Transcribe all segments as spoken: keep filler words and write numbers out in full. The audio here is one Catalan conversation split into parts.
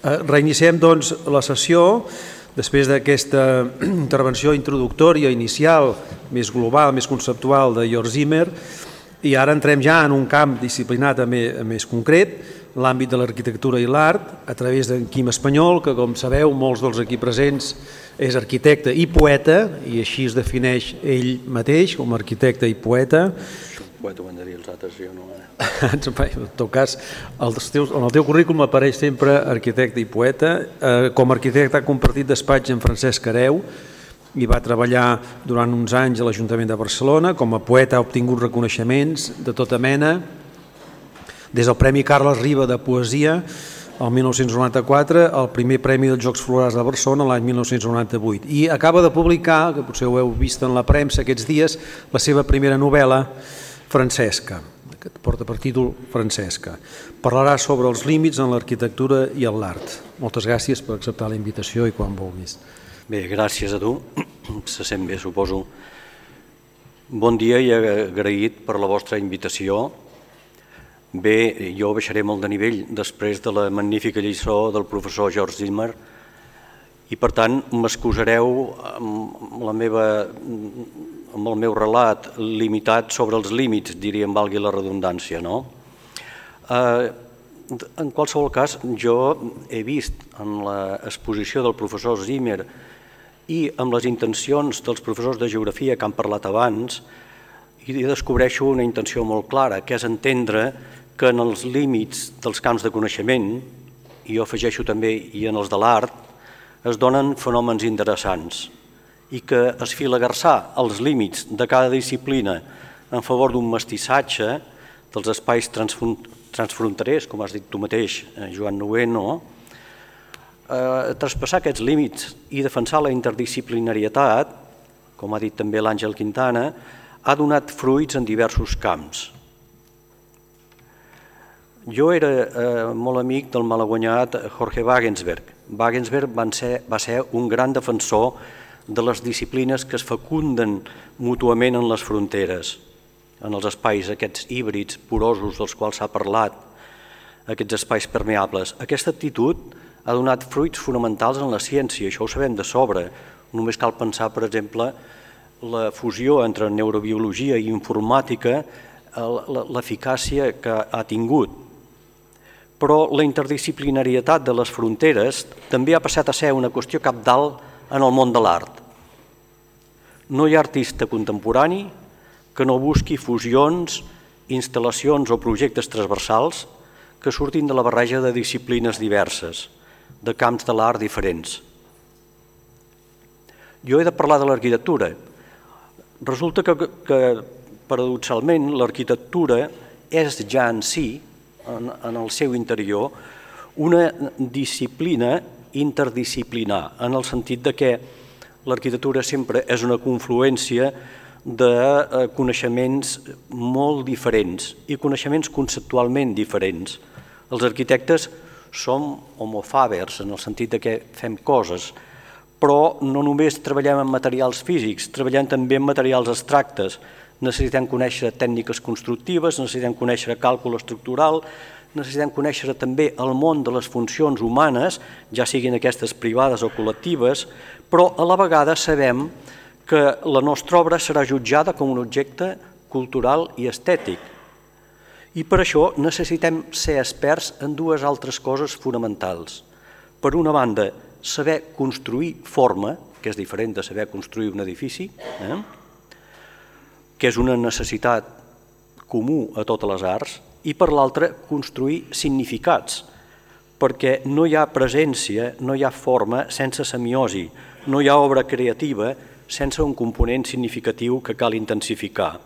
Reiniciem doncs la sessió després d'aquesta intervenció introductòria inicial, més global, més conceptual de Georg Zimmer, i ara entrem ja en un camp disciplinat més concret, l'àmbit de l'arquitectura i l'art, a través d'en Quim Espanyol, que com sabeu molts dels aquí presents és arquitecte i poeta, i així es defineix ell mateix com a arquitecte i poeta. Poeta ho han de dir els altres, jo no... En tot cas, en el teu currículum apareix sempre arquitecte i poeta. Com a arquitecte ha compartit despatx amb Francesc Areu i va treballar durant uns anys a l'Ajuntament de Barcelona. Com a poeta ha obtingut reconeixements de tota mena, des del Premi Carles Riba de Poesia el mil nou-cents noranta-quatre, el primer Premi dels Jocs Florals de Barcelona l'any mil nou-cents noranta-vuit. I acaba de publicar, que potser ho heu vist en la premsa aquests dies, la seva primera novel·la, Francesca, que porta per títol Francesca. Parlarà sobre els límits en l'arquitectura i en l'art. Moltes gràcies per acceptar la invitació i quan vulguis. Bé, gràcies a tu. Se sent bé, suposo. Bon dia i agraït per la vostra invitació. Bé, jo baixaré molt de nivell després de la magnífica lliçó del professor Georg Zimmer i, per tant, m'excusareu amb la meva... amb el meu relat limitat sobre els límits, diríem, valgui la redundància, no? En qualsevol cas, jo he vist en l'exposició del professor Zimmer i amb les intencions dels professors de geografia que han parlat abans, i descobreixo una intenció molt clara, que és entendre que en els límits dels camps de coneixement, i jo afegeixo també i en els de l'art, es donen fenòmens interessants, i que esfilagarçar els límits de cada disciplina en favor d'un mestissatge dels espais transfronterers, com has dit tu mateix, Joan Noveno, traspassar aquests límits i defensar la interdisciplinarietat, com ha dit també l'Àngel Quintana, ha donat fruits en diversos camps. Jo era molt amic del malaguanyat Jorge Wagensberg. Wagensberg va ser un gran defensor de les disciplines que es fecunden mútuament en les fronteres, en els espais aquests híbrids, porosos, dels quals s'ha parlat, aquests espais permeables. Aquesta actitud ha donat fruits fonamentals en la ciència, això ho sabem de sobre. Només cal pensar, per exemple, la fusió entre neurobiologia i informàtica, l'eficàcia que ha tingut. Però la interdisciplinarietat de les fronteres també ha passat a ser una qüestió cabdal en el món de l'art. No hi ha artista contemporani que no busqui fusions, instal·lacions o projectes transversals que surtin de la barreja de disciplines diverses, de camps de l'art diferents. Jo he de parlar de l'arquitectura. Resulta que, que paradoxalment, l'arquitectura és ja en si, en, en el seu interior, una disciplina interdisciplinar, en el sentit de que l'arquitectura sempre és una confluència de coneixements molt diferents i coneixements conceptualment diferents. Els arquitectes som homo fabers, en el sentit de que fem coses, però no només treballem en materials físics, treballem també en materials abstractes. Necessitem conèixer tècniques constructives, necessitem conèixer càlcul estructural, necessitem conèixer també el món de les funcions humanes, ja siguin aquestes privades o col·lectives, però a la vegada sabem que la nostra obra serà jutjada com un objecte cultural i estètic. I per això necessitem ser experts en dues altres coses fonamentals. Per una banda, saber construir forma, que és diferent de saber construir un edifici, eh? que és una necessitat comú a totes les arts, i per l'altra, construir significats, perquè no hi ha presència, no hi ha forma sense semiosi, no hi ha obra creativa sense un component significatiu que cal intensificar.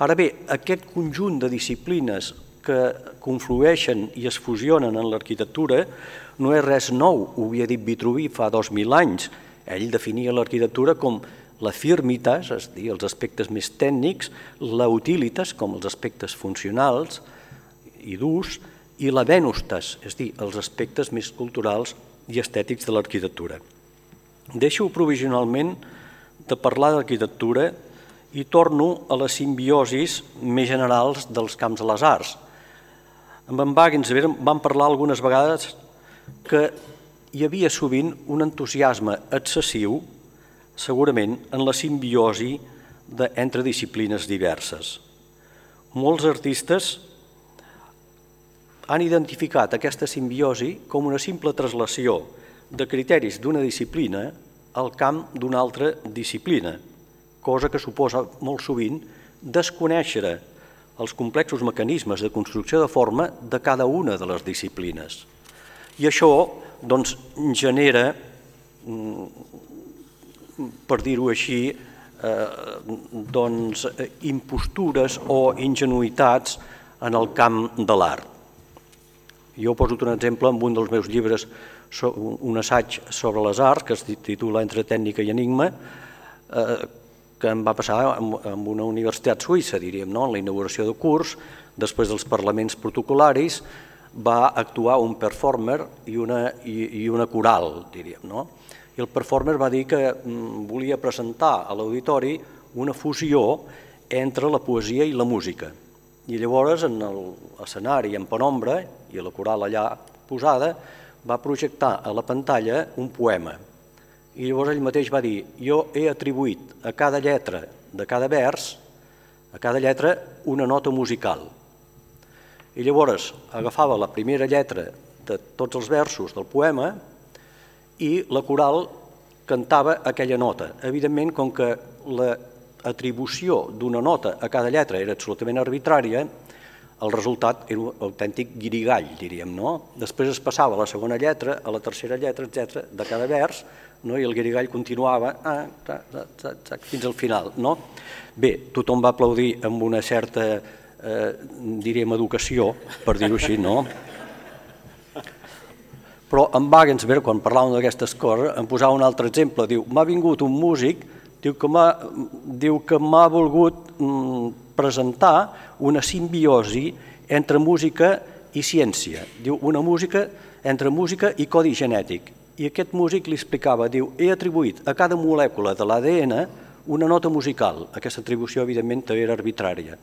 Ara bé, aquest conjunt de disciplines que conflueixen i es fusionen en l'arquitectura no és res nou, ho havia dit Vitruvi fa dos mil anys. Ell definia l'arquitectura com la firmitas, és a dir, els aspectes més tècnics, la utilitas, com els aspectes funcionals i d'ús, i la venustas, és a dir, els aspectes més culturals i estètics de l'arquitectura. Deixo provisionalment de parlar d'arquitectura i torno a les simbiosis més generals dels camps de les arts. Amb en Wagensberg vam parlar algunes vegades que hi havia sovint un entusiasme excessiu, segurament, en la simbiosi entre disciplines diverses. Molts artistes han identificat aquesta simbiosi com una simple traslació de criteris d'una disciplina al camp d'una altra disciplina, cosa que suposa molt sovint desconèixer els complexos mecanismes de construcció de forma de cada una de les disciplines. I això doncs, genera, per dir-ho així, eh, doncs, impostures o ingenuïtats en el camp de l'art. Jo he posat un exemple en un dels meus llibres, un assaig sobre les arts, que es titula Entre tècnica i enigma, eh, que em va passar en una universitat suïssa, diríem, no? En la inauguració de curs, després dels parlaments protocolaris, va actuar un performer i una, i, i una coral, diríem, no? I el performer va dir que volia presentar a l'auditori una fusió entre la poesia i la música. I llavors, en l'escenari en penombra, i la coral allà posada, va projectar a la pantalla un poema. I llavors ell mateix va dir: jo he atribuït a cada lletra de cada vers, a cada lletra, una nota musical. I llavors agafava la primera lletra de tots els versos del poema i la coral cantava aquella nota. Evidentment, com que l'atribució d'una nota a cada lletra era absolutament arbitrària, el resultat era un autèntic guirigall, diríem, no? Després es passava a la segona lletra, a la tercera lletra, etcètera, de cada vers, no? I el guirigall continuava ah, ta, ta, ta, ta, fins al final, no? Bé, tothom va aplaudir amb una certa, eh, diríem, educació, per dir-ho així, no? Però en Wagensberg, quan parlàvem d'aquestes coses, em posava un altre exemple. Diu, m'ha vingut un músic, diu que m'ha diu que m'ha volgut mm, presentar una simbiosi entre música i ciència. Diu, una música entre música i codi genètic. I aquest músic li explicava, diu, he atribuït a cada molècula de l'A D N una nota musical. Aquesta atribució, evidentment, era arbitrària.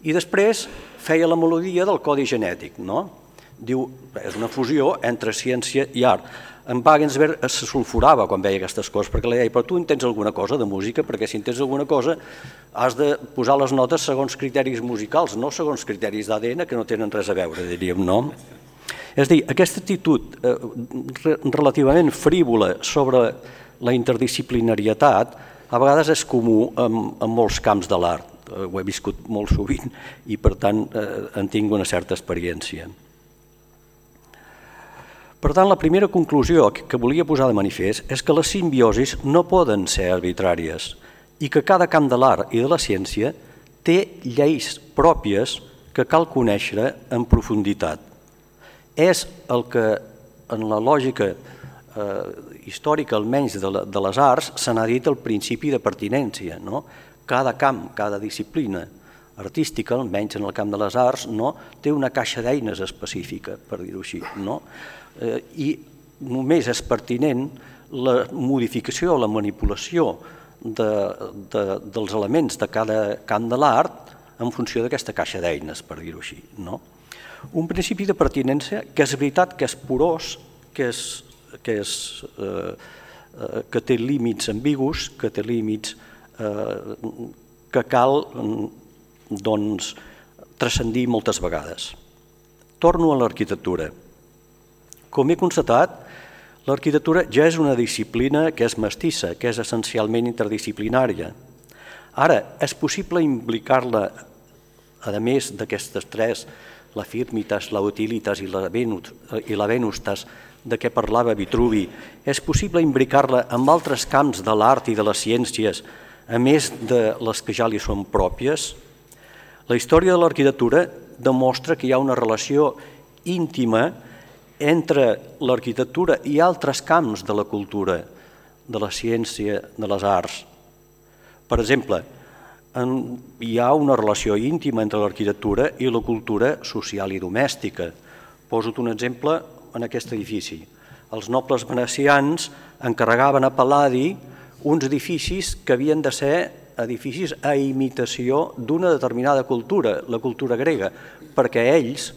I després feia la melodia del codi genètic, no? Diu, és una fusió entre ciència i art. En Wagensberg se sulfurava quan veia aquestes coses, perquè li deia, però tu entens alguna cosa de música? Perquè si entens alguna cosa has de posar les notes segons criteris musicals, no segons criteris d'A D N que no tenen res a veure, diríem, no? És a dir, aquesta actitud eh, relativament frívola sobre la interdisciplinarietat a vegades és comú en, en molts camps de l'art. Eh, ho he viscut molt sovint i, per tant, eh, en tinc una certa experiència. Per tant, la primera conclusió que volia posar de manifest és que les simbiosis no poden ser arbitràries i que cada camp de l'art i de la ciència té lleis pròpies que cal conèixer en profunditat. És el que, en la lògica eh, històrica, almenys de, la, de les arts, se n'ha dit el principi de pertinència, no? Cada camp, cada disciplina artística, almenys en el camp de les arts, no? Té una caixa d'eines específica, per dir-ho així, no? Eh, I només és pertinent la modificació o la manipulació de, de, dels elements de cada camp de l'art en funció d'aquesta caixa d'eines, per dir-ho així, no? Un principi de pertinència que és veritat que és porós, que, és, que, és, eh, que té límits ambigus, que té límits eh, que cal doncs, transcendir moltes vegades. Torno a l'arquitectura. Com he constatat, l'arquitectura ja és una disciplina que és mestissa, que és essencialment interdisciplinària. Ara, és possible implicar-la, a més d'aquestes tres, la firmitas, la utilitas i la venustas, de què parlava Vitruvi, és possible imbricar-la amb altres camps de l'art i de les ciències, a més de les que ja li són pròpies? La història de l'arquitectura demostra que hi ha una relació íntima entre l'arquitectura i altres camps de la cultura, de la ciència, de les arts. Per exemple, hi ha una relació íntima entre l'arquitectura i la cultura social i domèstica. Poso-te un exemple en aquest edifici. Els nobles venecians encarregaven a Pal·ladi uns edificis que havien de ser edificis a imitació d'una determinada cultura, la cultura grega, perquè ells,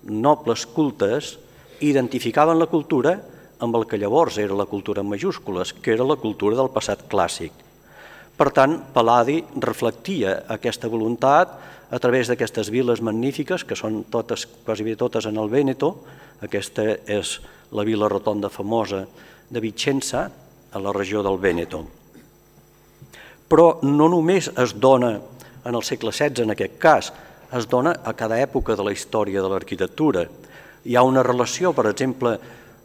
nobles cultes, identificaven la cultura amb el que llavors era la cultura en majúscules, que era la cultura del passat clàssic. Per tant, Pal·ladi reflectia aquesta voluntat a través d'aquestes viles magnífiques, que són totes, quasi bé totes en el Vèneto. Aquesta és la vila rotonda famosa de Vicenza, a la regió del Vèneto. Però no només es dona en el segle setze, en aquest cas, es dona a cada època de la història de l'arquitectura. Hi ha una relació, per exemple,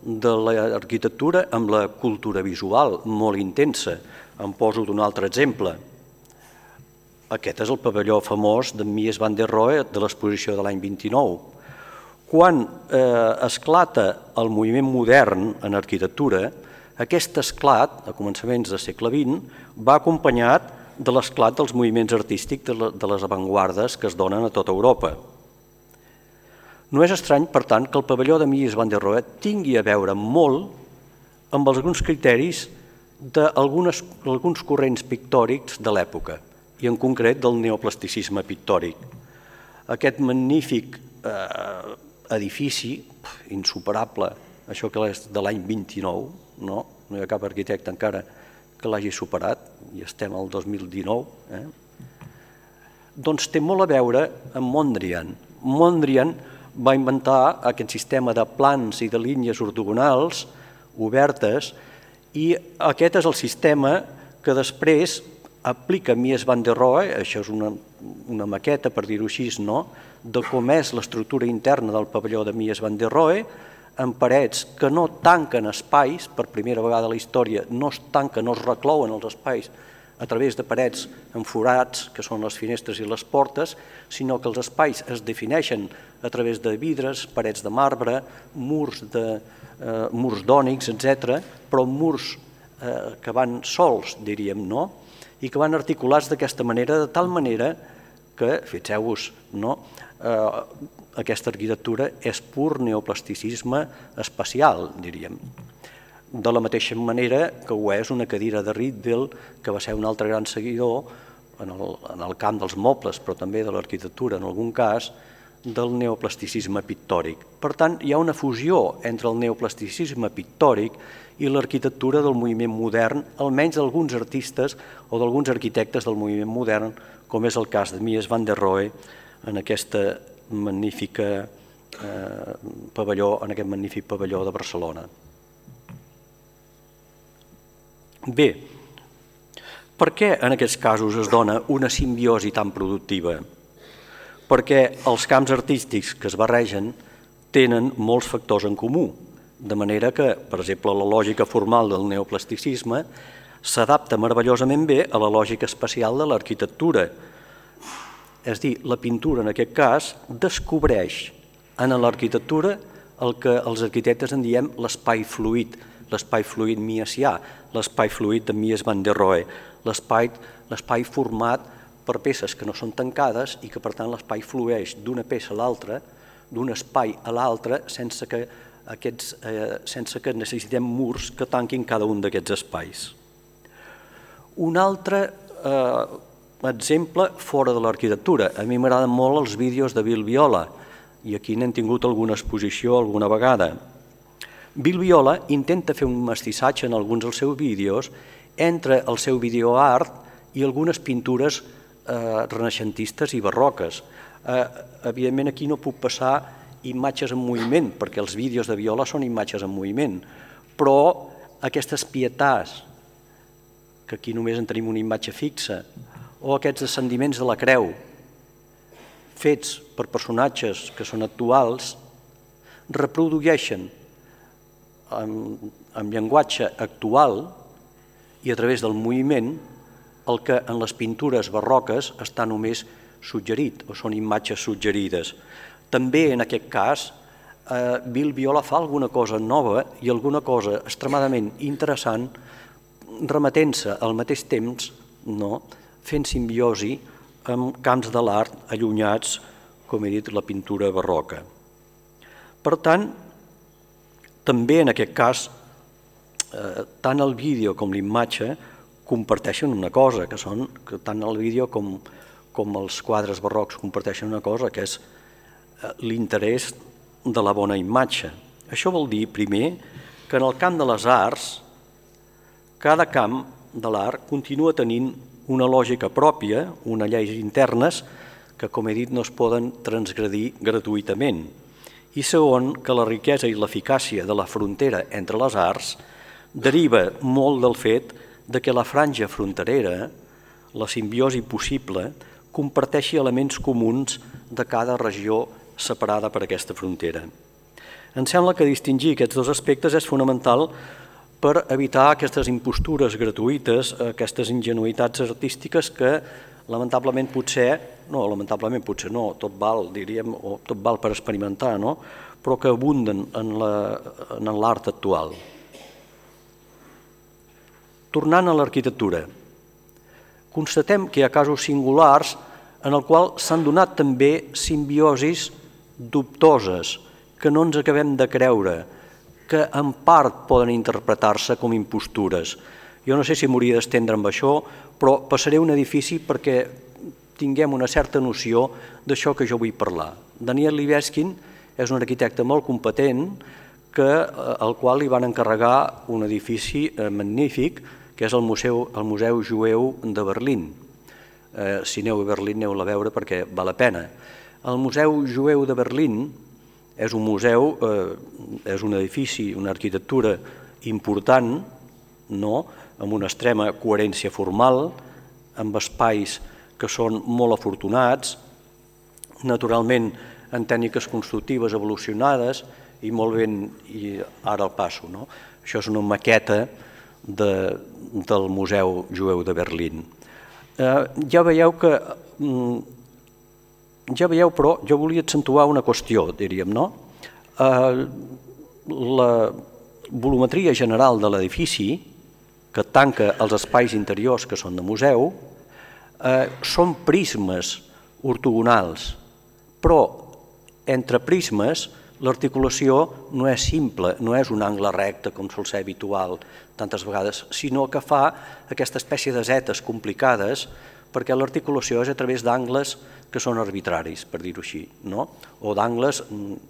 de l'arquitectura amb la cultura visual molt intensa. Em poso d'un altre exemple. Aquest és el pavelló famós de Mies van der Rohe de l'exposició de l'any vint-i-nou. Quan eh, esclata el moviment modern en arquitectura, aquest esclat, a començaments del segle vint, va acompanyat de l'esclat dels moviments artístics de les avantguardes que es donen a tota Europa. No és estrany, per tant, que el pavelló de Mies van der Rohe tingui a veure molt amb alguns criteris d'alguns corrents pictòrics de l'època, i en concret del neoplasticisme pictòric. Aquest magnífic eh, edifici, insuperable, això que és de l'any vint-i-nou, no? No hi ha cap arquitecte encara que l'hagi superat, i estem al dos mil dinou, eh? Doncs té molt a veure amb Mondrian. Mondrian va inventar aquest sistema de plans i de línies ortogonals obertes, i aquest és el sistema que després aplica Mies van der Rohe, això és una, una maqueta, per dir-ho així, no? De com és l'estructura interna del pavelló de Mies van der Rohe, amb parets que no tanquen espais, per primera vegada a la història no es tanquen, no es reclouen els espais a través de parets amb forats, que són les finestres i les portes, sinó que els espais es defineixen a través de vidres, parets de marbre, murs de, eh, murs d'ònix, etcètera, però murs eh, que van sols, diríem, no? I que van articulats d'aquesta manera, de tal manera que, fixeu-vos, no? Eh, aquesta arquitectura és pur neoplasticisme espacial, diríem. De la mateixa manera que ho és una cadira de Rittel, que va ser un altre gran seguidor en el, en el camp dels mobles, però també de l'arquitectura, en algun cas, del neoplasticisme pictòric. Per tant, hi ha una fusió entre el neoplasticisme pictòric i l'arquitectura del moviment modern, almenys d'alguns artistes o d'alguns arquitectes del moviment modern, com és el cas de Mies van der Rohe en aquesta magnífica eh, pavelló, en aquest magnífic pavelló de Barcelona. Bé, per què en aquests casos es dona una simbiosi tan productiva? Perquè els camps artístics que es barregen tenen molts factors en comú, de manera que, per exemple, la lògica formal del neoplasticisme s'adapta meravellosament bé a la lògica espacial de l'arquitectura. És a dir, la pintura, en aquest cas, descobreix en l'arquitectura el que els arquitectes en diem l'espai fluid, l'espai fluid miesià, l'espai fluid de Mies van der Rohe, l'espai format per peces que no són tancades i que, per tant, l'espai flueix d'una peça a l'altra, d'un espai a l'altre, sense que aquests, eh, sense que necessitem murs que tanquin cada un d'aquests espais. Un altre eh, exemple fora de l'arquitectura. A mi m'agraden molt els vídeos de Bill Viola, i aquí n'hem tingut alguna exposició alguna vegada. Bill Viola intenta fer un mestissatge en alguns dels seus vídeos entre el seu videoart i algunes pintures eh, renaixentistes i barroques. Eh, evidentment aquí no puc passar imatges en moviment, perquè els vídeos de Viola són imatges en moviment, però aquestes pietats, que aquí només en tenim una imatge fixa, o aquests descendiments de la creu, fets per personatges que són actuals, reprodueixen amb, amb llenguatge actual i a través del moviment el que en les pintures barroques està només suggerit, o són imatges suggerides. També en aquest cas, eh, Bill Viola fa alguna cosa nova i alguna cosa extremadament interessant, remetent-se al mateix temps, no?, fent simbiosi amb camps de l'art allunyats, com he dit, la pintura barroca. Per tant, també en aquest cas, eh, tant el vídeo com l'imatge comparteixen una cosa, que són que tant el vídeo com, com els quadres barrocs comparteixen una cosa, que és l'interès de la bona imatge. Això vol dir, primer, que en el camp de les arts, cada camp de l'art continua tenint una lògica pròpia, unes lleis internes, que, com he dit, no es poden transgredir gratuïtament. I segon, que la riquesa i l'eficàcia de la frontera entre les arts deriva molt del fet de que la franja fronterera, la simbiosi possible, comparteixi elements comuns de cada regió separada per aquesta frontera. Em sembla que distingir aquests dos aspectes és fonamental per evitar aquestes impostures gratuïtes, aquestes ingenuïtats artístiques que lamentablement potser, no, lamentablement potser no, tot val, diríem, o tot val per experimentar, no? Però que abunden en l'art actual. Tornant a l'arquitectura, constatem que hi ha casos singulars en el qual s'han donat també simbiosis dubtoses, que no ens acabem de creure, que en part poden interpretar-se com impostures. Jo no sé si m'hauria d'estendre amb això, però passaré un edifici perquè tinguem una certa noció d'això que jo vull parlar. Daniel Libeskind és un arquitecte molt competent que, al qual li van encarregar un edifici magnífic, que és el Museu, el Museu Jueu de Berlín. Eh, si aneu a Berlín, aneu a veure perquè val la pena. El Museu Jueu de Berlín és un museu, eh, és un edifici, una arquitectura important, no? Amb una extrema coherència formal, amb espais que són molt afortunats, naturalment en tècniques constructives evolucionades i molt ben, i ara el passo, no? Això és una maqueta de, del Museu Jueu de Berlín. Eh, ja veieu que... Ja veieu, però, jo volia accentuar una qüestió, diríem, no? Eh, la volumetria general de l'edifici, que tanca els espais interiors que són de museu, eh, són prismes ortogonals, però entre prismes l'articulació no és simple, no és un angle recte com sol ser habitual tantes vegades, sinó que fa aquesta espècie de zetes complicades perquè l'articulació és a través d'angles que són arbitraris, per dir-ho així, no? O d'angles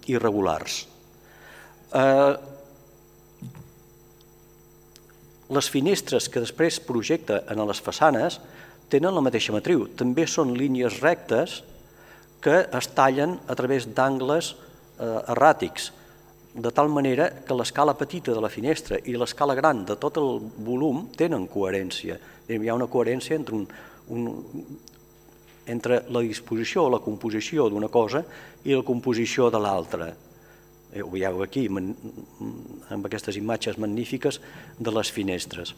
irregulars. Eh, les finestres que després projecta en les façanes tenen la mateixa matriu, també són línies rectes que es tallen a través d'angles eh, erràtics, de tal manera que l'escala petita de la finestra i l'escala gran de tot el volum tenen coherència. Hi ha una coherència entre, un, un, entre la disposició o la composició d'una cosa i la composició de l'altra. Ho veieu aquí, amb aquestes imatges magnífiques de les finestres.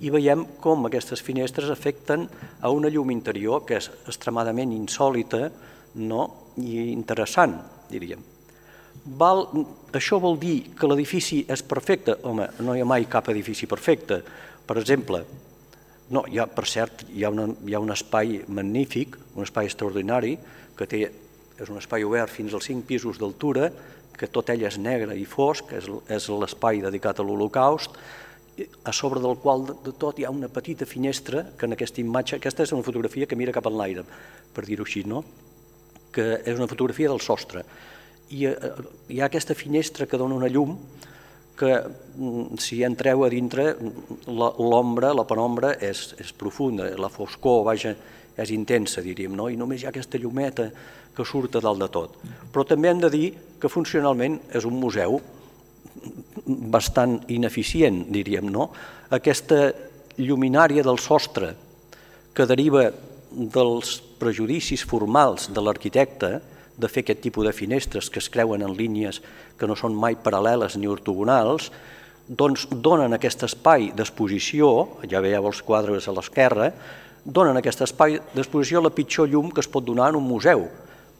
I veiem com aquestes finestres afecten a una llum interior que és extremadament insòlita, no? I interessant, diríem. Val, això vol dir que l'edifici és perfecte? Home, no hi ha mai cap edifici perfecte. Per exemple, no, hi ha, per cert, hi ha, una, hi ha un espai magnífic, un espai extraordinari, que té, és un espai obert fins als cinc pisos d'altura, que tot ell és negre i fosc, és, és l'espai dedicat a l'Holocaust, a sobre del qual de tot hi ha una petita finestra, que en aquesta imatge, aquesta és una fotografia que mira cap en l'aire, per dir-ho així, no? Que és una fotografia del sostre. I hi ha aquesta finestra que dona una llum que si entreu a dintre l'ombra, la penombra és, és profunda, la foscor, vaja, és intensa, diríem, no? I només hi ha aquesta llumeta que surt a dalt de tot. Però també hem de dir que funcionalment és un museu bastant ineficient, diríem, no? Aquesta lluminària del sostre que deriva dels prejudicis formals de l'arquitecte de fer aquest tipus de finestres que es creuen en línies que no són mai paral·leles ni ortogonals, doncs donen aquest espai d'exposició, ja veieu els quadres a l'esquerra, donen aquest espai d'exposició la pitjor llum que es pot donar en un museu,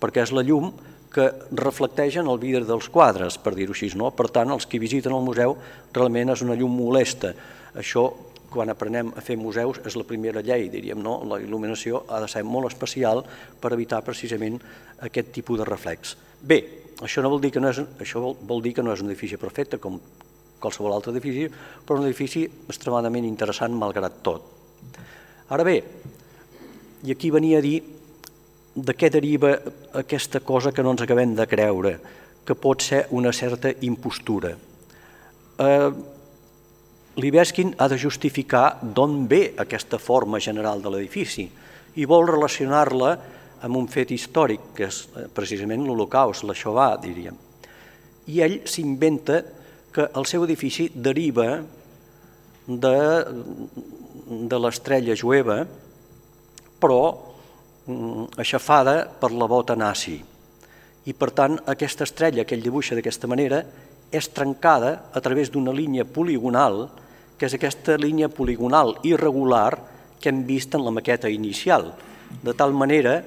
perquè és la llum que reflecteixen el vidre dels quadres, per dir-ho així, no? Per tant, els que visiten el museu realment és una llum molesta. Això, quan aprenem a fer museus, és la primera llei, diríem, no? La il·luminació ha de ser molt especial per evitar precisament aquest tipus de reflex. Bé, això no vol dir que no és, això vol, vol dir que no és un edifici perfecte, com qualsevol altre edifici, però un edifici extremadament interessant, malgrat tot. Ara bé, i aquí venia a dir de què deriva aquesta cosa que no ens acabem de creure, que pot ser una certa impostura. Eh, Libeskind ha de justificar d'on ve aquesta forma general de l'edifici i vol relacionar-la amb un fet històric, que és precisament l'Holocaust, la Shoah, diríem. I ell s'inventa que el seu edifici deriva de, de l'estrella jueva, però aixafada per la bota nazi. I per tant, aquesta estrella que ell dibuixa d'aquesta manera és trencada a través d'una línia poligonal, que és aquesta línia poligonal irregular que hem vist en la maqueta inicial, de tal manera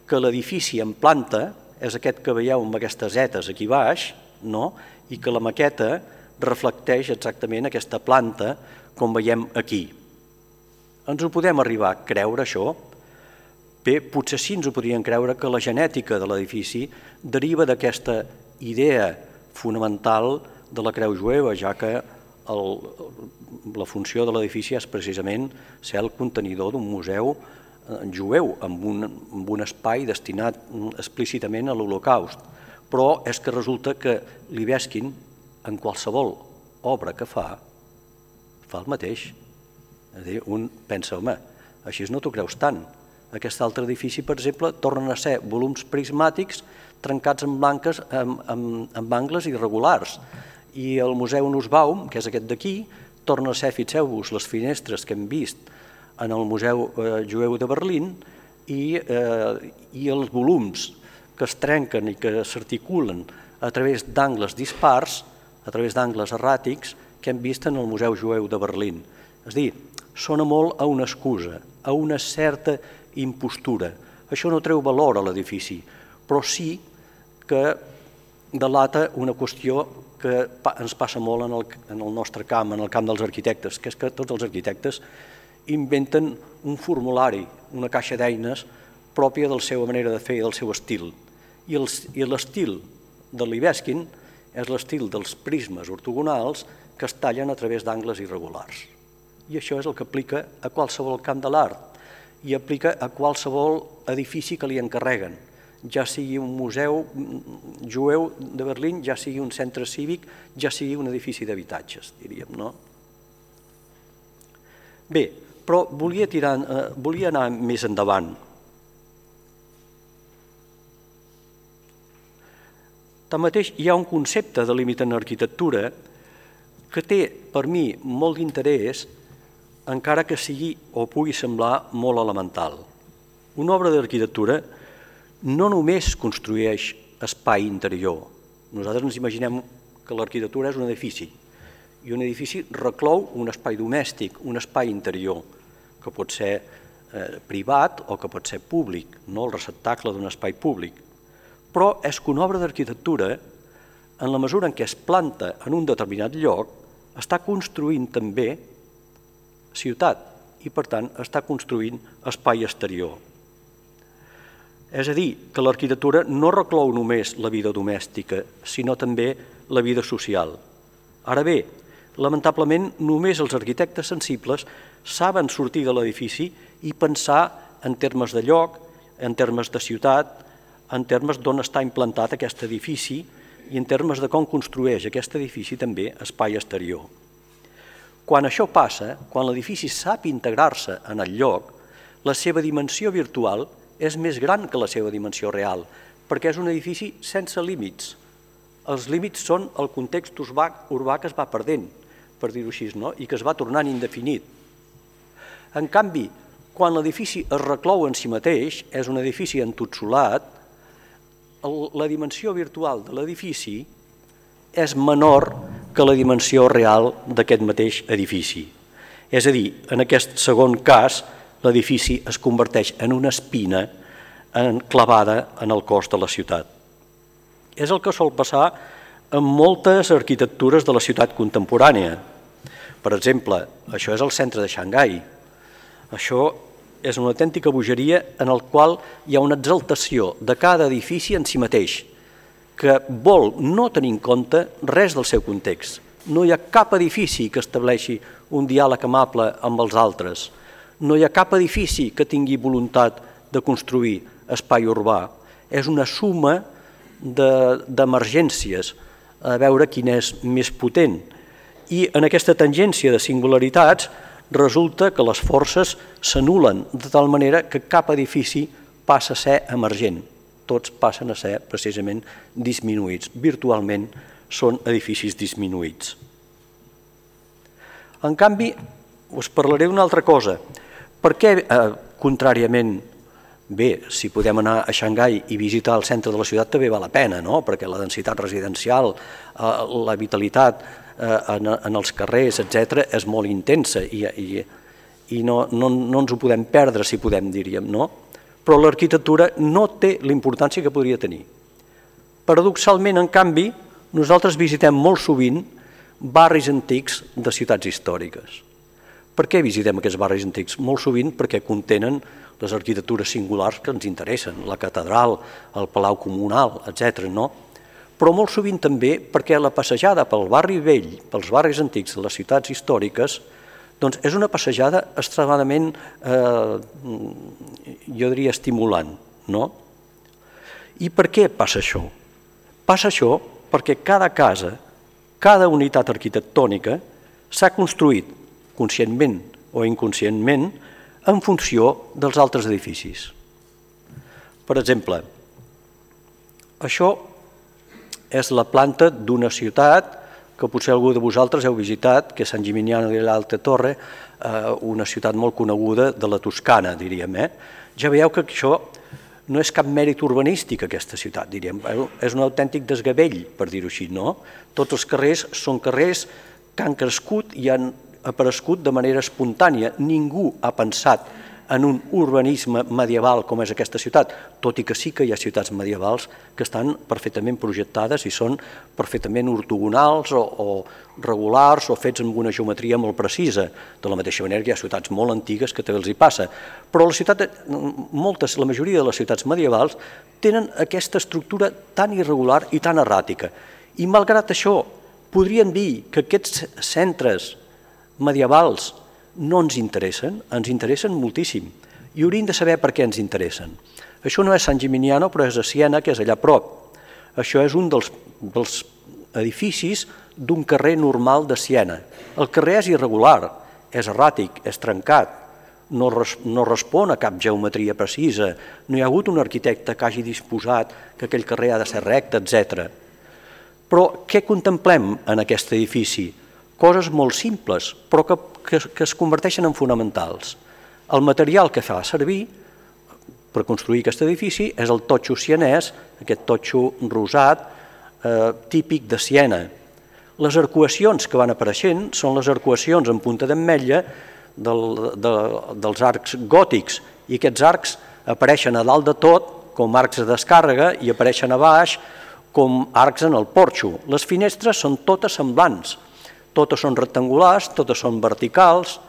que l'edifici en planta és aquest que veieu amb aquestes zetes aquí baix, no? I que la maqueta reflecteix exactament aquesta planta com veiem aquí. Ens ho podem arribar a creure, això? Bé, potser sí ens ho podríem creure que la genètica de l'edifici deriva d'aquesta idea fonamental de la creu jueva, ja que el, la funció de l'edifici és precisament ser el contenidor d'un museu jueu, amb un, amb un espai destinat explícitament a l'Holocaust. Però és que resulta que Libeskind, en qualsevol obra que fa, fa el mateix. És a dir, un pensa, home, així no t'ho creus tant. Aquest altre edifici, per exemple, tornen a ser volums prismàtics trencats en, blanques, amb, amb, amb angles irregulars. I el Museu Nussbaum, que és aquest d'aquí, torna a ser, fixeu-vos, les finestres que hem vist en el Museu eh, Jueu de Berlín i, eh, i els volums que es trenquen i que s'articulen a través d'angles dispars, a través d'angles erràtics, que hem vist en el Museu Jueu de Berlín. És a dir, sona molt a una excusa, a una certa impostura. Això no treu valor a l'edifici, però sí que delata una qüestió que ens passa molt en el, en el nostre camp, en el camp dels arquitectes, que és que tots els arquitectes inventen un formulari, una caixa d'eines pròpia de la seva manera de fer i del seu estil. I l'estil de Libeskind és l'estil dels prismes ortogonals que es tallen a través d'angles irregulars. I això és el que aplica a qualsevol camp de l'art i aplica a qualsevol edifici que li encarreguen, ja sigui un museu jueu de Berlín, ja sigui un centre cívic, ja sigui un edifici d'habitatges, diríem, no? Bé, però volia, tirar, eh, volia anar més endavant. Tanmateix, hi ha un concepte de límit en arquitectura que té, per mi, molt d'interès, encara que sigui o pugui semblar molt elemental. Una obra d'arquitectura no només construeix espai interior. Nosaltres ens imaginem que l'arquitectura és un edifici i un edifici reclou un espai domèstic, un espai interior, que pot ser eh, privat o que pot ser públic, no el receptacle d'un espai públic. Però és que una obra d'arquitectura, en la mesura en què es planta en un determinat lloc, està construint també ciutat i, per tant, està construint espai exterior. És a dir, que l'arquitectura no reclou només la vida domèstica, sinó també la vida social. Ara bé, lamentablement, només els arquitectes sensibles saben sortir de l'edifici i pensar en termes de lloc, en termes de ciutat, en termes d'on està implantat aquest edifici i en termes de com construeix aquest edifici també espai exterior. Quan això passa, quan l'edifici sap integrar-se en el lloc, la seva dimensió virtual és més gran que la seva dimensió real, perquè és un edifici sense límits. Els límits són el context urbà, urbà que es va perdent, per dir-ho així, no? I que es va tornant indefinit. En canvi, quan l'edifici es reclou en si mateix, és un edifici entotsolat, la dimensió virtual de l'edifici és menor que la dimensió real d'aquest mateix edifici. És a dir, en aquest segon cas, l'edifici es converteix en una espina clavada en el cos de la ciutat. És el que sol passar en moltes arquitectures de la ciutat contemporània. Per exemple, això és el centre de Xangai. Això és una autèntica bogeria en el qual hi ha una exaltació de cada edifici en si mateix, que vol no tenir en compte res del seu context. No hi ha cap edifici que estableixi un diàleg amable amb els altres. No hi ha cap edifici que tingui voluntat de construir espai urbà. És una suma d'emergències, a veure quin és més potent. I en aquesta tangència de singularitats resulta que les forces s'anulen de tal manera que cap edifici passa a ser emergent. Tots passen a ser precisament disminuïts. Virtualment són edificis disminuïts. En canvi, us parlaré d'una altra cosa. Per què, eh, contràriament, bé, si podem anar a Xangai i visitar el centre de la ciutat també val la pena, no? Perquè la densitat residencial, eh, la vitalitat eh, en, en els carrers, etcètera, és molt intensa i, i, i no, no, no ens ho podem perdre, si podem, diríem, no? Però l'arquitectura no té la importància que podria tenir. Paradoxalment, en canvi, nosaltres visitem molt sovint barris antics de ciutats històriques. Per què visitem aquests barris antics? Molt sovint perquè contenen les arquitectures singulars que ens interessen, la catedral, el palau comunal, etcètera, no? Però molt sovint també perquè la passejada pel barri vell, pels barris antics de les ciutats històriques, doncs és una passejada extremadament, eh, jo diria, estimulant, no? I per què passa això? Passa això perquè cada casa, cada unitat arquitectònica s'ha construït conscientment o inconscientment en funció dels altres edificis. Per exemple, això és la planta d'una ciutat que potser algú de vosaltres heu visitat, que és Sant Gimignano dell'Alta Torre, una ciutat molt coneguda de la Toscana, diríem. Ja veieu que això no és cap mèrit urbanístic, aquesta ciutat, diríem. És un autèntic desgavell, per dir-ho així, no? Tots els carrers són carrers que han crescut i han aparegut de manera espontània. Ningú ha pensat en un urbanisme medieval com és aquesta ciutat, tot i que sí que hi ha ciutats medievals que estan perfectament projectades i són perfectament ortogonals o, o regulars o fets amb una geometria molt precisa. De la mateixa manera que hi ha ciutats molt antigues que també els hi passa. Però la ciutat, moltes, la majoria de les ciutats medievals tenen aquesta estructura tan irregular i tan erràtica. I malgrat això, podríem dir que aquests centres medievals no ens interessen, ens interessen moltíssim i hauríem de saber per què ens interessen. Això no és Sant Gimignano, però és a Siena, que és allà a prop. Això és un dels, dels edificis d'un carrer normal de Siena. El carrer és irregular, és erràtic, és trencat, no, res, no respon a cap geometria precisa, no hi ha hagut un arquitecte que hagi disposat que aquell carrer ha de ser recte, etcètera. Però què contemplem en aquest edifici? Coses molt simples, però que, que, que es converteixen en fonamentals. El material que fa servir per construir aquest edifici és el totxo sienès, aquest totxo rosat, eh, típic de Siena. Les arcuacions que van apareixent són les arcuacions en punta d'ametlla del, de, dels arcs gòtics, i aquests arcs apareixen a dalt de tot com arcs de descàrrega i apareixen a baix com arcs en el porxo. Les finestres són totes semblants, totes són rectangulars, totes són verticals.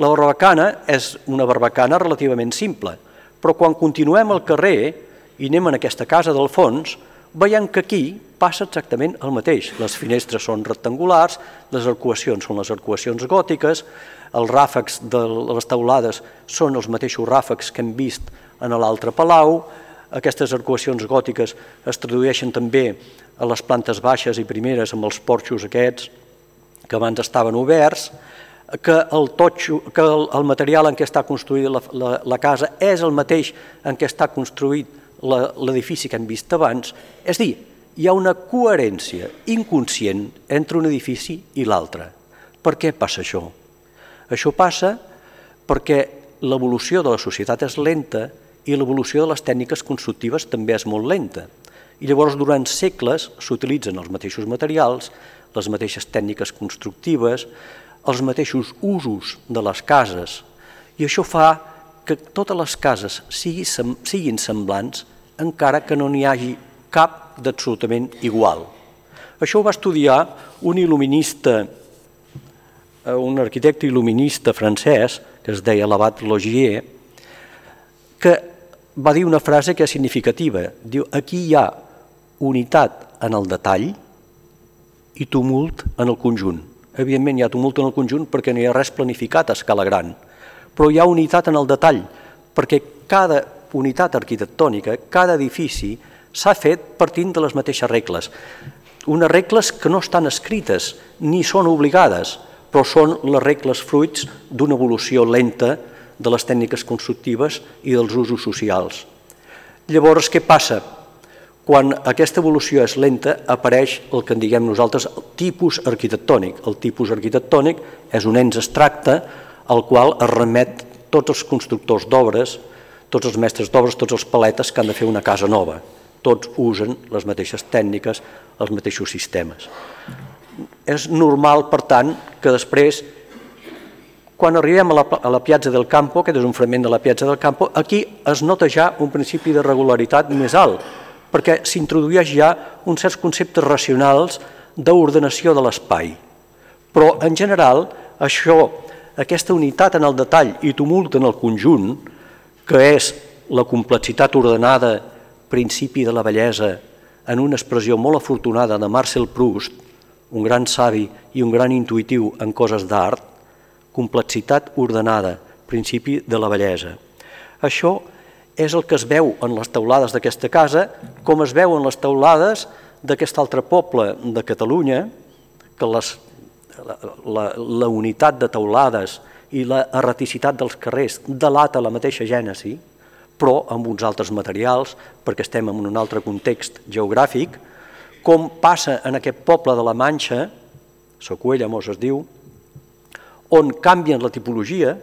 La barbacana és una barbacana relativament simple, però quan continuem el carrer i anem en aquesta casa del fons, veiem que aquí passa exactament el mateix. Les finestres són rectangulars, les arcuacions són les arcuacions gòtiques, els ràfecs de les teulades són els mateixos ràfecs que hem vist en l'altre palau, aquestes arcuacions gòtiques es tradueixen també a les plantes baixes i primeres amb els porxos aquests, que abans estaven oberts, que el, totxo, que el, el material en què està construïda la, la, la casa és el mateix en què està construït l'edifici que hem vist abans. És dir, hi ha una coherència inconscient entre un edifici i l'altre. Per què passa això? Això passa perquè l'evolució de la societat és lenta i l'evolució de les tècniques constructives també és molt lenta. I llavors durant segles s'utilitzen els mateixos materials, les mateixes tècniques constructives, els mateixos usos de les cases, i això fa que totes les cases siguin semblants encara que no n'hi hagi cap d'absolutament igual. Això ho va estudiar un il·luminista, un arquitecte il·luminista francès, que es deia l'Abat Logier, que va dir una frase que és significativa. Diu, aquí hi ha unitat en el detall i tumult en el conjunt. Evidentment hi ha tumult en el conjunt perquè no hi ha res planificat a escala gran, però hi ha unitat en el detall perquè cada unitat arquitectònica, cada edifici s'ha fet partint de les mateixes regles. Unes regles que no estan escrites ni són obligades, però són les regles fruits d'una evolució lenta de les tècniques constructives i dels usos socials. Llavors, què passa? Quan aquesta evolució és lenta, apareix el que en diguem nosaltres el tipus arquitectònic. El tipus arquitectònic és un ens abstracte al qual es remet tots els constructors d'obres, tots els mestres d'obres, tots els paletes que han de fer una casa nova. Tots usen les mateixes tècniques, els mateixos sistemes. És normal, per tant, que després, quan arribem a la, a la Piazza del Campo, aquest és un fragment de la Piazza del Campo, aquí es nota ja un principi de regularitat més alt, perquè s'introdueix ja uns certs conceptes racionals d'ordenació de l'espai. Però, en general, això, aquesta unitat en el detall i tumult en el conjunt, que és la complexitat ordenada, principi de la bellesa, en una expressió molt afortunada de Marcel Proust, un gran savi i un gran intuïtiu en coses d'art, complexitat ordenada, principi de la bellesa. Això és el que es veu en les teulades d'aquesta casa, com es veu en les teulades d'aquest altre poble de Catalunya, que les, la, la, la unitat de teulades i la erraticitat dels carrers delata la mateixa gènesi, però amb uns altres materials, perquè estem en un altre context geogràfic, com passa en aquest poble de la Manxa, Socuéllamos es diu, on canvien la tipologia,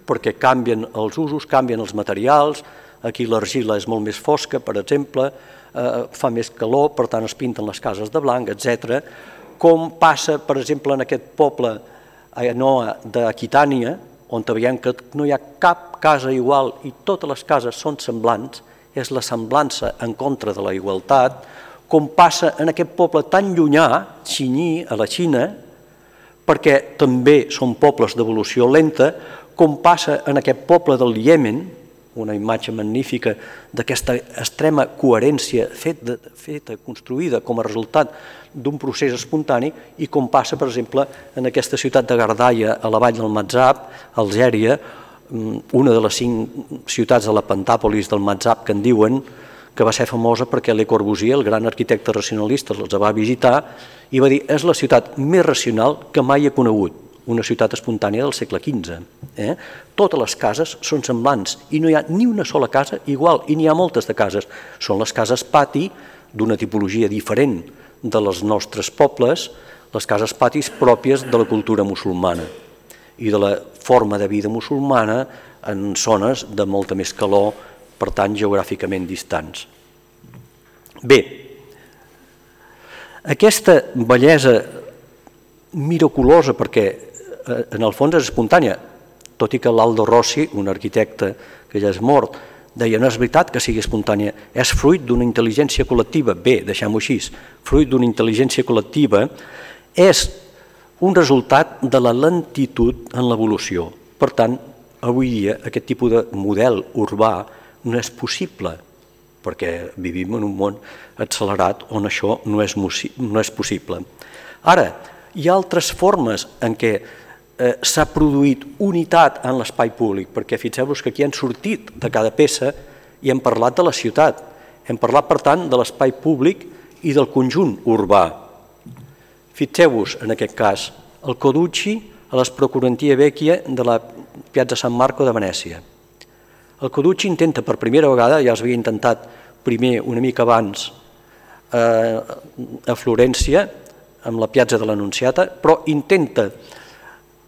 perquè canvien els usos, canvien els materials, aquí l'argila és molt més fosca, per exemple, eh, fa més calor, per tant es pinten les cases de blanc, etcètera. Com passa, per exemple, en aquest poble Aenoa d'Aquitània, on veiem que no hi ha cap casa igual i totes les cases són semblants, és la semblança en contra de la igualtat, com passa en aquest poble tan llunyà, Xinyi, a la Xina, perquè també són pobles d'evolució lenta, com passa en aquest poble del Iemen, una imatge magnífica d'aquesta extrema coherència feta, feta, construïda com a resultat d'un procés espontani, i com passa, per exemple, en aquesta ciutat de Gardaia, a la vall del Matzab, Algèria, una de les cinc ciutats de la Pentàpolis del Matzab que en diuen, que va ser famosa perquè Le Corbusier, el gran arquitecte racionalista, els va visitar i va dir, és la ciutat més racional que mai he conegut, una ciutat espontània del segle quinze. Eh? Totes les cases són semblants i no hi ha ni una sola casa igual, i n'hi ha moltes de cases. Són les cases pati d'una tipologia diferent de les nostres pobles, les cases patis pròpies de la cultura musulmana i de la forma de vida musulmana en zones de molta més calor, per tant, geogràficament distants. Bé, aquesta bellesa miraculosa, perquè en el fons és espontània, tot i que l'Aldo Rossi, un arquitecte que ja és mort, deia, no és veritat que sigui espontània, és fruit d'una intel·ligència col·lectiva. Bé, deixem-ho així, fruit d'una intel·ligència col·lectiva és un resultat de la lentitud en l'evolució. Per tant, avui dia aquest tipus de model urbà no és possible, perquè vivim en un món accelerat on això no és, no és possible. Ara, hi ha altres formes en què eh, s'ha produït unitat en l'espai públic, perquè fixeu-vos que aquí han sortit de cada peça i hem parlat de la ciutat, hem parlat, per tant, de l'espai públic i del conjunt urbà. Fixeu-vos, en aquest cas, el Coducci a les Procurantie Vecchie de la Piazza San Marco de Venècia. El Coducci intenta per primera vegada, ja s'havia intentat primer una mica abans eh, a Florència, amb la Piazza de l'Annunziata, però intenta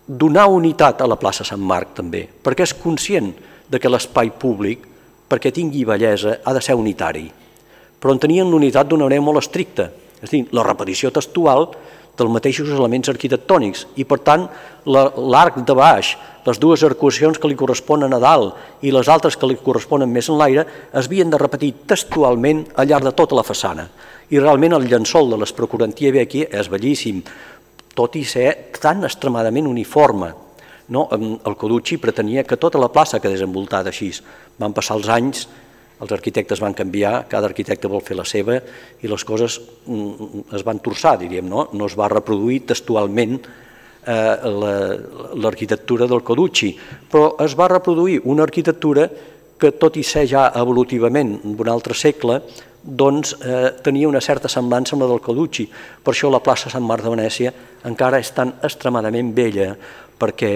donar unitat a la plaça Sant Marc també, perquè és conscient de que l'espai públic, perquè tingui bellesa, ha de ser unitari. Però en tenien l'unitat d'una manera molt estricta, és a dir, la repetició textual dels mateixos elements arquitectònics i, per tant, l'arc de baix, les dues arcuacions que li corresponen a dalt i les altres que li corresponen més en l'aire, es havien de repetir textualment al llarg de tota la façana. I realment el llençol de les Procurantie Vecchie és bellíssim, tot i ser tan extremadament uniforme. No? El Coducci pretenia que tota la plaça quedés envoltada així. Van passar els anys, els arquitectes van canviar, cada arquitecte vol fer la seva i les coses es van torçar, diríem, no? No es va reproduir textualment l'arquitectura del Coducci, però es va reproduir una arquitectura que, tot i ser ja evolutivament d'un altre segle, doncs eh, tenia una certa semblança amb la del Carducci. Per això la plaça Sant Marc de Venècia encara és tan extremadament bella, perquè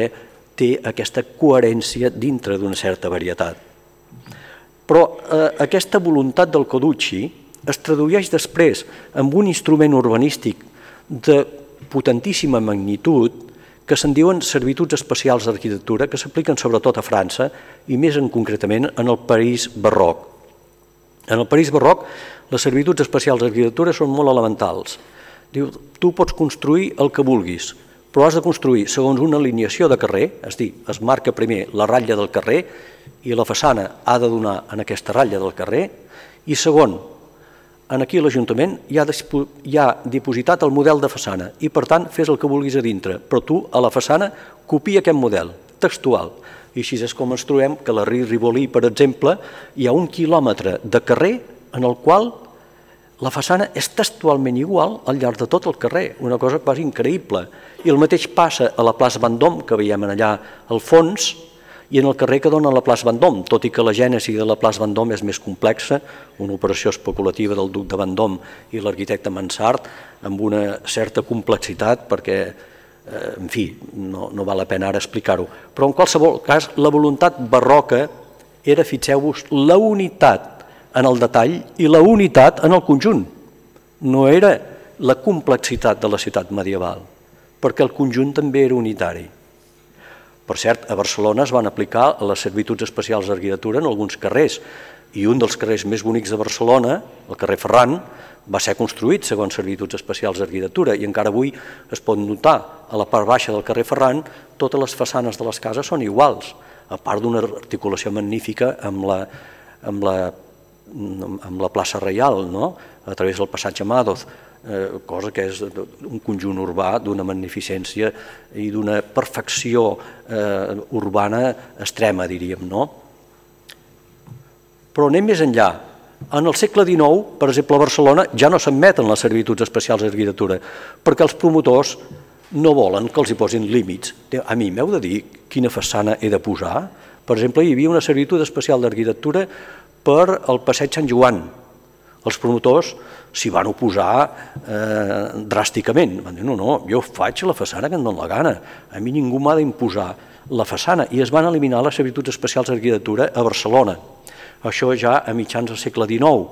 té aquesta coherència dintre d'una certa varietat. Però eh, aquesta voluntat del Carducci es tradueix després en un instrument urbanístic de potentíssima magnitud que se'n diuen servituds especials d'arquitectura, que s'apliquen sobretot a França i més en concretament en el París barroc. En el París barroc, les servituds especials d'arquitectura són molt elementals. Diu, tu pots construir el que vulguis, però has de construir segons una alineació de carrer, és a dir, es marca primer la ratlla del carrer i la façana ha de donar en aquesta ratlla del carrer, i segon, aquí a l'Ajuntament hi ha, hi ha dipositat el model de façana i per tant fes el que vulguis a dintre, però tu a la façana copia aquest model textual. I així és com ens trobem que a la Rivoli, per exemple, hi ha un quilòmetre de carrer en el qual la façana és textualment igual al llarg de tot el carrer, una cosa quasi increïble. I el mateix passa a la plaça Vendôme, que veiem allà al fons, i en el carrer que dona la plaça Vendôme, tot i que la gènesi de la plaça Vendôme és més complexa, una operació especulativa del duc de Vendôme i l'arquitecte Mansart, amb una certa complexitat, perquè en fi, no, no val la pena ara explicar-ho, però en qualsevol cas la voluntat barroca era, fixeu-vos, la unitat en el detall i la unitat en el conjunt. No era la complexitat de la ciutat medieval, perquè el conjunt també era unitari. Per cert, a Barcelona es van aplicar les servituds especials d'arquitectura en alguns carrers, i un dels carrers més bonics de Barcelona, el carrer Ferran, va ser construït segons servituds especials d'arquitectura i encara avui es pot notar a la part baixa del carrer Ferran totes les façanes de les cases són iguals, a part d'una articulació magnífica amb la, amb la, amb la plaça Reial, no? A través del passatge Madoz, eh, cosa que és un conjunt urbà d'una magnificència i d'una perfecció eh, urbana extrema, diríem, no? Però anem més enllà. En el segle dinou, per exemple, a Barcelona ja no s'admeten les servituds especials d'arquitectura perquè els promotors no volen que els hi posin límits. A mi m'heu de dir quina façana he de posar? Per exemple, hi havia una servitud especial d'arquitectura per al passeig Sant Joan. Els promotors s'hi van oposar eh, dràsticament. Van dir, no, no, jo faig la façana que em dóna la gana. A mi ningú m'ha d'imposar la façana. I es van eliminar les servituds especials d'arquitectura a Barcelona. Això ja a mitjans del segle dinou.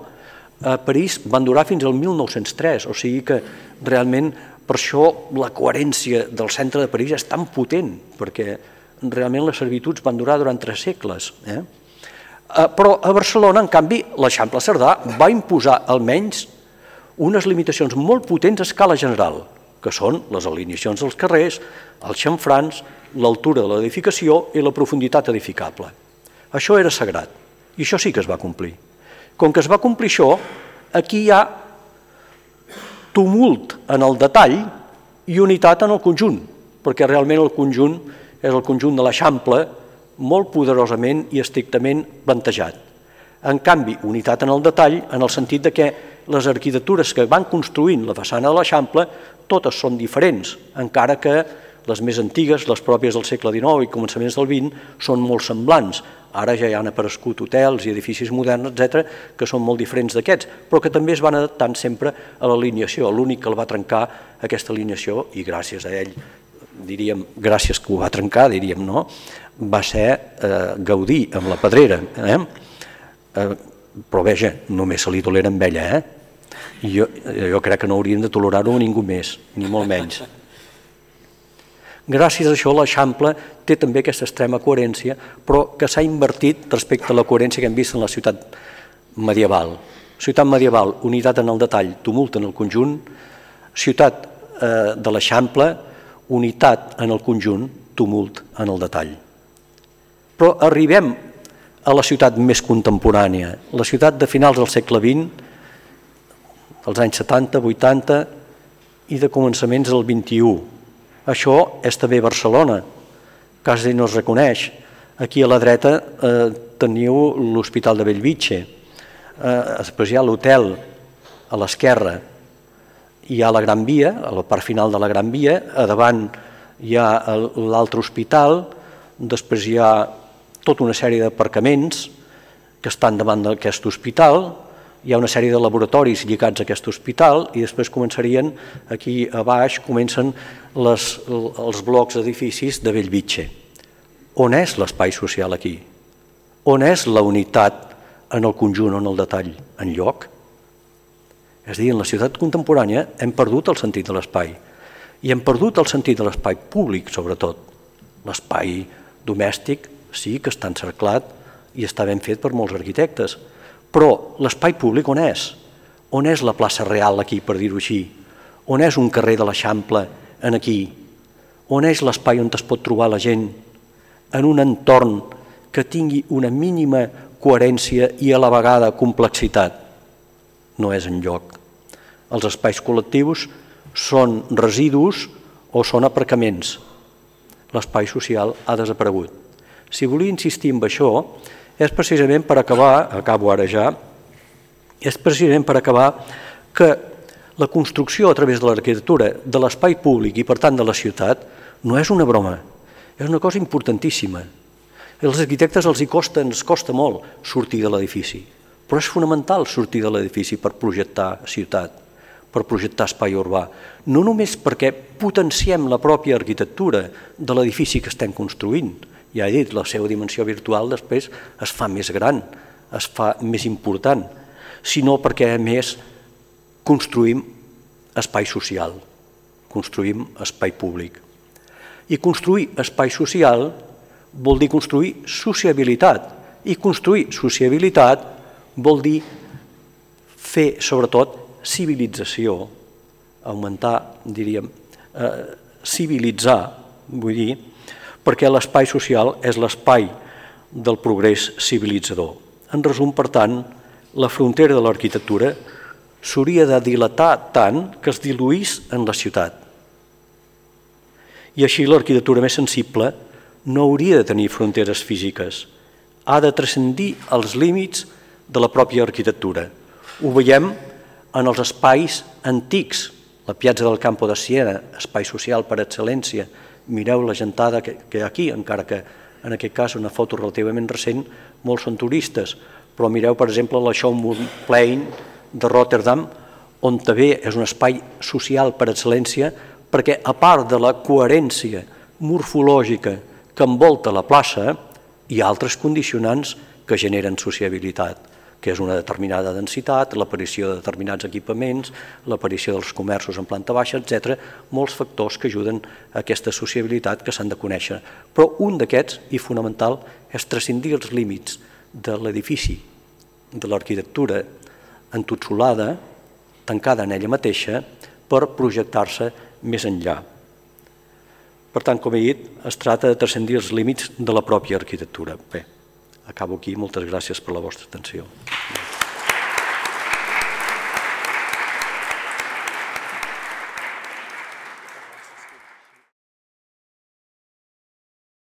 A París van durar fins al mil nou-cents tres, o sigui que realment per això la coherència del centre de París és tan potent, perquè realment les servituds van durar durant tres segles. Eh? Però a Barcelona, en canvi, l'Eixample Cerdà va imposar almenys unes limitacions molt potents a escala general, que són les alineacions dels carrers, els xamfrans, l'altura de l'edificació i la profunditat edificable. Això era sagrat. I això sí que es va complir. Com que es va complir això, aquí hi ha tumult en el detall i unitat en el conjunt, perquè realment el conjunt és el conjunt de l'Eixample molt poderosament i estrictament plantejat. En canvi, unitat en el detall, en el sentit de que les arquitectures que van construint la façana de l'Eixample totes són diferents, encara que les més antigues, les pròpies del segle dinou i començaments del vint, són molt semblants. Ara ja hi han aparegut hotels i edificis moderns, etcètera, que són molt diferents d'aquests, però que també es van adaptant sempre a l'alineació. L'únic que el va trencar aquesta alineació, i gràcies a ell, diríem, gràcies que ho va trencar, diríem, no?, va ser eh, Gaudí amb la Pedrera. Eh? Eh, però veja, només se li tolera amb ella, eh? I jo, jo crec que no haurien de tolerar-ho a ningú més, ni molt menys. Gràcies a això l'Eixample té també aquesta extrema coherència, però que s'ha invertit respecte a la coherència que hem vist en la ciutat medieval. Ciutat medieval, unitat en el detall, tumult en el conjunt. Ciutat eh, de l'Eixample, unitat en el conjunt, tumult en el detall. Però arribem a la ciutat més contemporània, la ciutat de finals del segle vint, dels anys setanta, vuitanta i de començaments del vint-i-u. Això és també Barcelona, quasi no es reconeix. Aquí a la dreta eh, teniu l'Hospital de Bellvitge, eh, després hi ha l'hotel a l'esquerra, hi ha la Gran Via, a la part final de la Gran Via, a davant hi ha l'altre hospital, després hi ha tota una sèrie d'aparcaments que estan davant d'aquest hospital, hi ha una sèrie de laboratoris lligats a aquest hospital i després començarien, aquí a baix, comencen les, els blocs d'edificis de Bellvitge. On és l'espai social aquí? On és la unitat en el conjunt o en el detall? Enlloc? És a dir, en la ciutat contemporània hem perdut el sentit de l'espai i hem perdut el sentit de l'espai públic, sobretot. L'espai domèstic sí que està encerclat i està ben fet per molts arquitectes, però l'espai públic on és? On és la plaça Real aquí, per dir-ho així? On és un carrer de l'Eixample en aquí? On és l'espai on es pot trobar la gent en un entorn que tingui una mínima coherència i a la vegada complexitat? No és enlloc. Els espais col·lectius són residus o són aparcaments. L'espai social ha desaparegut. Si volia insistir en això, és precisament per acabar, acabo ara ja, és precisament per acabar que la construcció a través de l'arquitectura de l'espai públic i per tant de la ciutat no és una broma, és una cosa importantíssima. Als arquitectes els hi costa, ens costa molt sortir de l'edifici, però és fonamental sortir de l'edifici per projectar ciutat, per projectar espai urbà, no només perquè potenciem la pròpia arquitectura de l'edifici que estem construint, ja he dit, la seva dimensió virtual després es fa més gran, es fa més important, sinó perquè a més construïm espai social, construïm espai públic. I construir espai social vol dir construir sociabilitat, i construir sociabilitat vol dir fer, sobretot, civilització, augmentar, diríem, eh, civilitzar, vull dir, perquè l'espai social és l'espai del progrés civilitzador. En resum, per tant, la frontera de l'arquitectura s'hauria de dilatar tant que es diluís en la ciutat. I així l'arquitectura més sensible no hauria de tenir fronteres físiques, ha de transcendir els límits de la pròpia arquitectura. Ho veiem en els espais antics, la Piazza del Campo de Siena, espai social per excel·lència. Mireu la gentada que hi ha aquí, encara que en aquest cas una foto relativament recent, molts són turistes, però mireu, per exemple, la Schönbrunn de Rotterdam, on també és un espai social per excel·lència, perquè a part de la coherència morfològica que envolta la plaça, hi ha altres condicionants que generen sociabilitat, que és una determinada densitat, l'aparició de determinats equipaments, l'aparició dels comerços en planta baixa, etcètera, molts factors que ajuden a aquesta sociabilitat que s'han de conèixer. Però un d'aquests, i fonamental, és transcendir els límits de l'edifici, de l'arquitectura entotsolada, tancada en ella mateixa, per projectar-se més enllà. Per tant, com he dit, es tracta de transcendir els límits de la pròpia arquitectura. Bé, acabo aquí. Moltes gràcies per la vostra atenció.